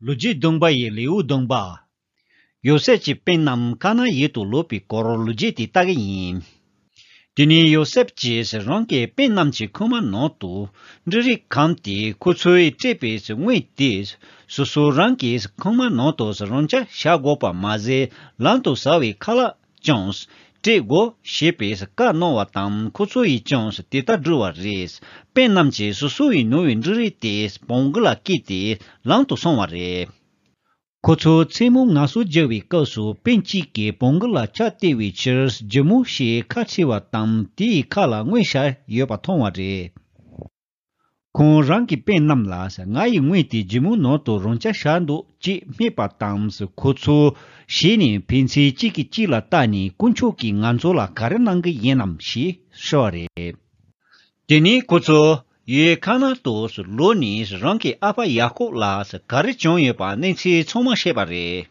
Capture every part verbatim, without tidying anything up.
ལོ་རྒྱུས་བདུན་པ་ཡི་ལེའུ་བདུན་པ། ཡོ་སེབ་ཀྱི་སྤུན་རྣམས་ཁ་ནན་ཡུལ་དུ་ལོག་པའི་སྐོར་ལོ་རྒྱུས་དེ་ལྟ་གི་ཡིན། དེ་ནས་ཡོ་སེབ་ཀྱིས་རང་གི་སྤུན་རྣམས་ཀྱི་ཁུག་མ་ནང་དུ་འབྲུ་རིགས་བཀང་སྟེ། ཁོ་ཚོས་སྤྲད་པའི་དངུལ་དེ་སོ་སོ་རང་གི་ཁུག་མ་ནང་དུ་རང་འཇགས་བཞག་དགོས་པ་མ་ཟད། ལམ་དུ་ཟ་བའི་ཁ་ལག་ཀྱང་སྤྲད་དགོས་ཞེས་པའི་བཀའ་གནང་བ་དང་། ཁོ་ཚོ་ཡིས་ཀྱང་དེ་ལྟར་བསྒྲུབས་པ་རེད། སྤུན་རྣམས་ཀྱིས་སོ་སོ་ཡི་ནོར་བའི་འབྲུ་རིགས་དེ་བོང་གུ་ལ་བཀལ་ཏེ་ལམ་དུ་སོང་བ་རེད། ཁོ་ཚོ་མཚན་མོ་ངལ་གསོ་རྒྱག་པའི་སྐབས་སུ་སྤུན་གཅིག་གིས་བོང་གུ་ལ་ཆག་སྟེར་བའི་ཕྱིར་ཇི་མོ་ཞེས་ཁ་ཕྱེ་བ་དང་། དེའི་ཁ་ལ་དངུལ་བཞག་ཡོད་པ་མཐོང་བ་རེད། ཁོང་རང་གི་སྤུན་རྣམས་ལ། ང་ཡི་དངུལ་དེ་ཇི་མོ་ནང་དུ་རང་འཇགས་བཞག་འདུག་ཅེས་སྨྲས་པ་དང་། ཁོ་ཚོ་ཞེད་ནས་ཕན་ཚུན་གཅིག་གིས་གཅིག་ལ་བལྟས་ནས། དཀོན་མཆོག་གིས་ང་ཚོ་ལ་ག་རེ་གནང་གི་ཡིན་ནམ་ཞེས་དྲིས་པ་རེད། དེ་ནས་ཁོ་ཚོ་ཡུལ་ཁ་ནན་དུ་ལོག་ནས་རང་གི་ཨ་ཕ་ཡ་ཀོབ་ལ་ག་རེ་བྱུང་ཡོད་པ་གནས་ཚུལ་ཚང་མ་བཤད་པ་རེད།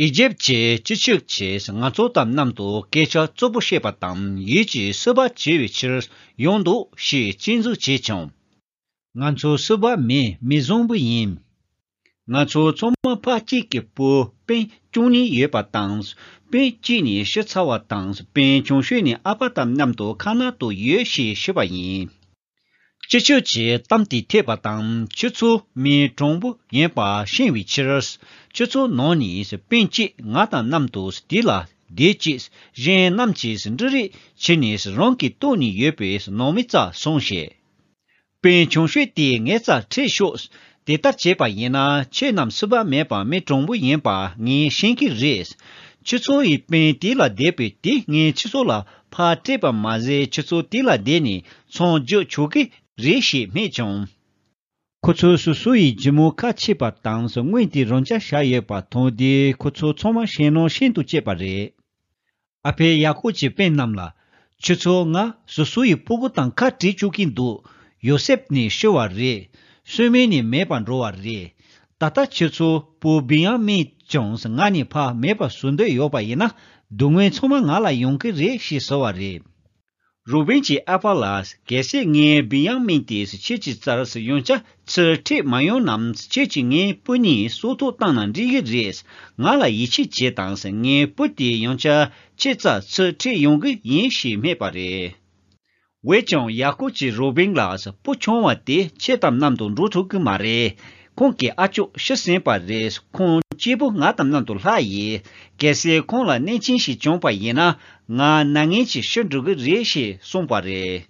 ཨི་ཇིབ་ཀྱི་སྤྱི་ཁྱབ་ཀྱིས་ང་ཚོ་དང་མཉམ་དུ་སྐད་ཆ་རྩུབ་པོ་བཤད་པ་དང་། ཡུལ་གྱི་སྲིད་པ་བྱེད་པའི་ཕྱིར་ཡོང་འདུག་ཞེས་སྐྱོན་འཛུགས་བྱས་བྱུང་། ང་ཚོ་སྲིད་པ་མེད། མི་བཟང་པོ་ཡིན། ང་ཚོ་ཚང་མ་ཕ་གཅིག་གི་བུ་སྤུན་བཅུ་གཉིས་ཡོད་པ་དང་། སྤུན་གཅིག་ནི་ཤི་ཚར་བ་དང་། སྤུན་ཆུང་ཤོས་ནི་ཨ་ཕ་དང་མཉམ་དུ་ཁ་ནན་དུ་ཡོད་ཞེས་ཞུས་པ་ཡིན། སྤྱི་ཁྱབ་ཀྱིས་གཏམ་དེ་ཐོས་པ་དང་། ཁྱོད་ཚོ་མི་དྲང་པོ་ཡིན་པ་ཤེས་པའི་ཕྱིར། ཁྱོད་ཚོ་ནང་ནས་སྤུན་གཅིག་ང་དང་མཉམ་དུ་དེ་ལ་བསྡད་ཅིག་གཞན་རྣམས་ཀྱིས་འབྲུ་རིགས་ཁྱེར་ནས་རང་གི་ལྟོགས་ནས་ཡོད་པའི་ནང་མི་རྩར་སོང་ཞིག་སྤུན་ཆུང་ཤོས་དེས་ངའི་རྩར་ཁྲིད་ཤོག་དེ་ལྟར་བྱས་པ་ཡིན་ན། ཁྱེད་རྣམས་སྲིད་པ་མེད་པར་མི་དྲང་པོ་ཡིན་པ་ངས་ཤེས་ཀྱི་རེད། ཁྱེད་ཚོ་ཡི་སྤུན་དེ་ལ་བསྡད་པའི་དེ་ངས་ཁྱེད་ཚོ་ལ་ཕར་སྤྲད་པ་མ་ཟད། ཁྱེད་ཚོ་དེ་ལ་བསྡད་ནས་མཚམས་འཇོག་ཆོག་གི་རེད་ཞེས་སྨྲས་བྱུང་། ཁོ་ཚོས་སོ་སོ་ཡི་ཇི་མོ་ཁ་ཕྱེས་པ་དང་། དངུལ་དེ་རང་འཇགས་བཞག་ཡོད་པ་མཐོང་དུས། ཁོ་ཚོ་ཚང་མ་ཞེད་སྣང་ཤིན་ཏུ་སྐྱེས་པ་རེད། ཨ་ཕས་ཡ་ཀོབ་ཀྱི་སྤུན་རྣམས་ལ། ཁྱོད་ཚོ་ང་སོ་སོ་ཡི་སྤུ་གུ་དང་ཁ་བྲལ་བཅུག་གིན་འདུག་ཡོ་སེབ་ནི་ཤི་བ་རེད། སོན་མོ་ནི་མེད་པར་འགྲོ་བ་རེད། ད་ལྟ་ཁྱོད་ཚོ་བུ་བེན་ཡ་མིན་ཀྱང་ང་ནས་ཕར་མེད་པར་བཟོ་འདོད་ཡོད་པ་ཡིན་ན། སྡུག་བསྔལ་ཚང་མ་ང་ལ་ཡོང་གི་རེད་ཞེས་ཟེར་བ་རེད། རུ་བེན་གྱི་ཨ་ཕ་ལ། གལ་སྲིད་ངས་བེན་ཡ་མིན་དེ་ཁྱེད་ཀྱི་རྩར་ཡང་བསྐྱར་ཚུར་ཁྲིད་མ་ཡོང་ན། ཁྱེད་ཀྱིས་ངའི་བུ་གཉིས་སྲོག་ཐོག་བཏང་ན་འགྲིག་གི་རེད། ང་ལ་ཡིད་ཆེས་བྱེད་དང་། ངའི་བུ་དེ་ཡང་བསྐྱར་ཁྱེད་རྩར་ཚུར་ཁྲིད་ཡོང་གི་ཡིན་ཞེས་སྨྲས་པ་རེད། འོན་ཀྱང་ཡ་ཀོབ་ཀྱིས་རུ་བེན་ལ། བུ་ཆུང་བ་དེ་ཁྱེད་དང་མཉམ་དུ་འགྲོ་ཐུབ་ཀྱི་མ་རེད། ཁོང་གི་ཨ་ཅོག་ཤི་ཟིན་པ་རེད། ཁོང་གཅིག་པུ་ང་དང་མཉམ་དུ་ལྷག་ཡིན། གལ་སྲིད་ཁོང་ལ་གནོད་སྐྱོན་ཞིག་བྱུང་བ་ཡིན་ན། ང་མྱ་ངན་གྱིས་ཤི་འགྲོ་གི་རེད་ཞེས་གསུངས་པ་རེད།